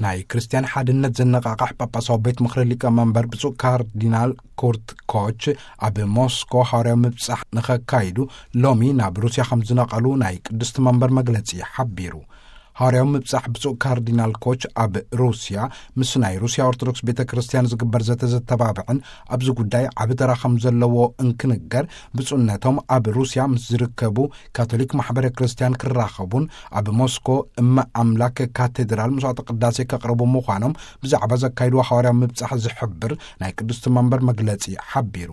ናይ ክርስትያን ሓድነት ዘነቓቕሕ ጳጳሳዊ ቤት ምኽሪ ሊቀመንበር ብፁዕ ካርዲናል ኩርት ኮች፣ ኣብ ሞስኮ ሃዋርያዊ ምብጻሕ ንኸካይዱ ሎሚ ናብ ሩስያ ከም ዝነቐሉ ናይ ቅድስቲ መንበር መግለጺ ሓቢሩ። ሃዋርያዊ ምብጻሕ ብፁዕ ካርዲናል ኮች ኣብ ሩስያ ምስ ናይ ሩስያ ኦርቶዶክስ ቤተ ክርስቲያን ዝግበር ዘተ ዘተባብዕን ኣብዚ ጉዳይ ዓቢ ተራ ከም ዘለዎ እንክንገር፣ ብፁዕነቶም ኣብ ሩስያ ምስ ዝርከቡ ካቶሊክ ማሕበረ ክርስቲያን ክራኸቡን ኣብ ሞስኮ እመ ኣምላክ ካቴድራል መስዋዕተ ቅዳሴ ከቕርቡ ምዃኖም ብዛዕባ ዘካይድዎ ሃዋርያዊ ምብጻሕ ዝሕብር ናይ ቅድስቲ መንበር መግለጺ ሓቢሩ።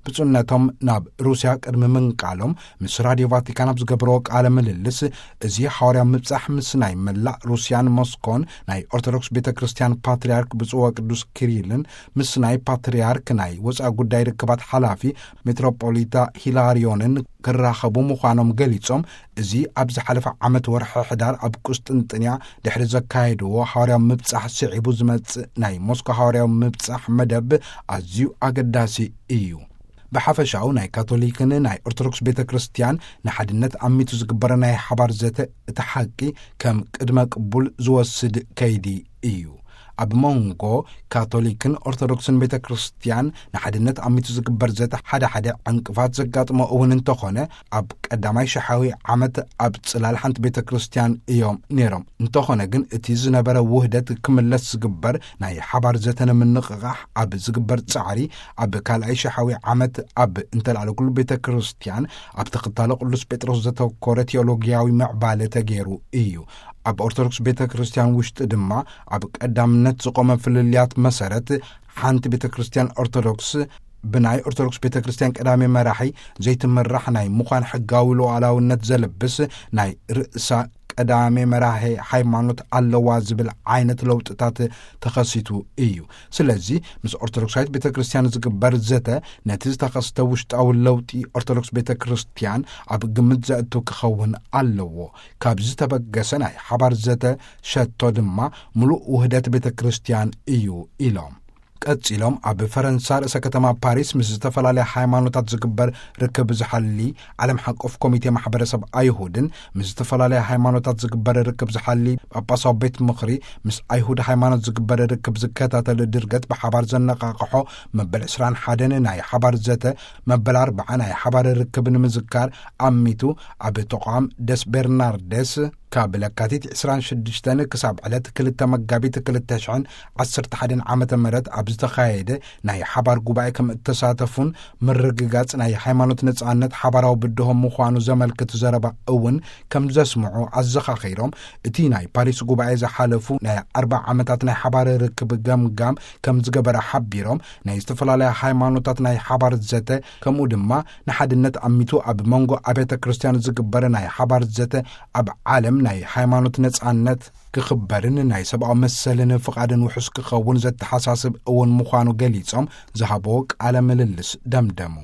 ብፁዕነቶም ናብ ሩስያ ቅድሚ ምንቃሎም ምስ ራድዮ ቫቲካን ኣብ ዝገብርዎ ቃለ ምልልስ፣ እዚ ሃዋርያዊ ምብጻሕ ምስ ናይ መላእ ሩስያን ሞስኮን ናይ ኦርቶዶክስ ቤተ ክርስቲያን ፓትርያርክ ብፁዕ ወቅዱስ ኪሪልን ምስ ናይ ፓትርያርክ ናይ ወጻኢ ጉዳይ ርክባት ሓላፊ ሜትሮፖሊታ ሂላርዮንን ክራኸቡ ምዃኖም ገሊጾም፣ እዚ ኣብ ዝሓለፈ ዓመት ወርሒ ሕዳር ኣብ ቁስጥንጥንያ ድሕሪ ዘካየድዎ ሃዋርያዊ ምብጻሕ ስዒቡ ዝመጽእ ናይ ሞስኮ ሃዋርያዊ ምብጻሕ መደብ ኣዝዩ ኣገዳሲ እዩ። ብሓፈሻኡ ናይ ካቶሊክን ናይ ኦርቶዶክስ ቤተ ክርስቲያን ንሓድነት ኣሚቱ ዝግበረ ናይ ሓባር ዘተ እቲ ሓቂ ከም ቅድመ ቅቡል ዝወስድ ከይዲ እዩ። ኣብ መንጎ ካቶሊክን ኦርቶዶክስን ቤተ ክርስቲያን ንሓድነት ኣሚቱ ዝግበር ዘተ ሓደ ሓደ ዕንቅፋት ዘጋጥሞ እውን እንተኾነ፣ ኣብ ቀዳማይ ሸሓዊ ዓመት ኣብ ጽላል ሓንቲ ቤተ ክርስቲያን እዮም ነይሮም። እንተኾነ ግን እቲ ዝነበረ ውህደት ክምለስ ዝግበር ናይ ሓባር ዘተ ንምንቕቓሕ ኣብ ዝግበር ጻዕሪ፣ ኣብ ካልኣይ ሸሓዊ ዓመት ኣብ እንተልኣለ ኩሉ ቤተ ክርስቲያን ኣብ ተኸታሎ ቅዱስ ጴጥሮስ ዘተኮረ ቴዎሎጊያዊ ምዕባለ ተገይሩ እዩ። ኣብ ኦርቶዶክስ ቤተ ክርስቲያን ውሽጢ ድማ ኣብ ቀዳምነት ዝቆመ ፍልልያት መሰረት ሓንቲ ቤተ ክርስቲያን ኦርቶዶክስ ብናይ ኦርቶዶክስ ቤተ ክርስቲያን ቀዳሜ መራሒ ዘይትምራሕ ናይ ምዃን ሕጋዊ ሉዓላውነት ዘልብስ ናይ ርእሳ ቀዳሜ መራሒ ሃይማኖት ኣለዋ ዝብል ዓይነት ለውጥታት ተኸሲቱ እዩ። ስለዚ ምስ ኦርቶዶክሳዊት ቤተ ክርስቲያን ዝግበር ዘተ ነቲ ዝተኸስተ ውሽጣዊ ለውጢ ኦርቶዶክስ ቤተ ክርስቲያን ኣብ ግምት ዘእቱ ክኸውን ኣለዎ። ካብ ዝተበገሰ ናይ ሓባር ዘተ ሸቶ ድማ ምሉእ ውህደት ቤተ ክርስቲያን እዩ ኢሎም። ቀጺሎም ኣብ ፈረንሳ ርእሰ ከተማ ፓሪስ ምስ ዝተፈላለያ ሃይማኖታት ዝግበር ርክብ ዝሓሊ ዓለም ሓቆፍ ኮሚቴ ማሕበረሰብ ኣይሁድን ምስ ዝተፈላለያ ሃይማኖታት ዝግበር ርክብ ዝሓሊ ጳጳሳዊ ቤት ምኽሪ ምስ ኣይሁድ ሃይማኖት ዝግበር ርክብ ዝከታተል ድርገት ብሓባር ዘነቓቕሖ መበል ዕስራን ሓደን ናይ ሓባር ዘተ መበል ኣርባዓ ናይ ሓባር ርክብ ንምዝካር ኣሚቱ ኣብ ተቋም ደስ ቤርናርደስ ካብ ለካቲት ዕስራን ሽዱሽተን ክሳብ ዕለት ክልተ መጋቢት ክልተ ሽሕን ዓሰርተ ሓደን ዓመተ ምህረት ኣብ ዝተኻየደ ናይ ሓባር ጉባኤ ከም እተሳተፉን ምርግጋጽ ናይ ሃይማኖት ነጻነት ሓባራዊ ብድሆ ምዃኑ ዘመልክት ዘረባ እውን ከም ዘስምዑ ኣዘኻኺሮም፣ እቲ ናይ ፓሪስ ጉባኤ ዝሓለፉ ናይ ኣርባ ዓመታት ናይ ሓባር ርክብ ገምጋም ከም ዝገበረ ሓቢሮም፣ ናይ ዝተፈላለያ ሃይማኖታት ናይ ሓባር ዘተ ከምኡ ድማ ንሓድነት ኣሚቱ ኣብ መንጎ ኣብያተ ክርስቲያን ዝግበር ናይ ሓባር ዘተ ኣብ ዓለም ናይ ሃይማኖት ነጻነት ክኽበርን ናይ ሰብኣዊ መሰልን ፍቓድን ውሑስ ክኸውን ዘተሓሳስብ እውን ምዃኑ ገሊጾም ዝሃቦ ቃለ ምልልስ ደምደሙ።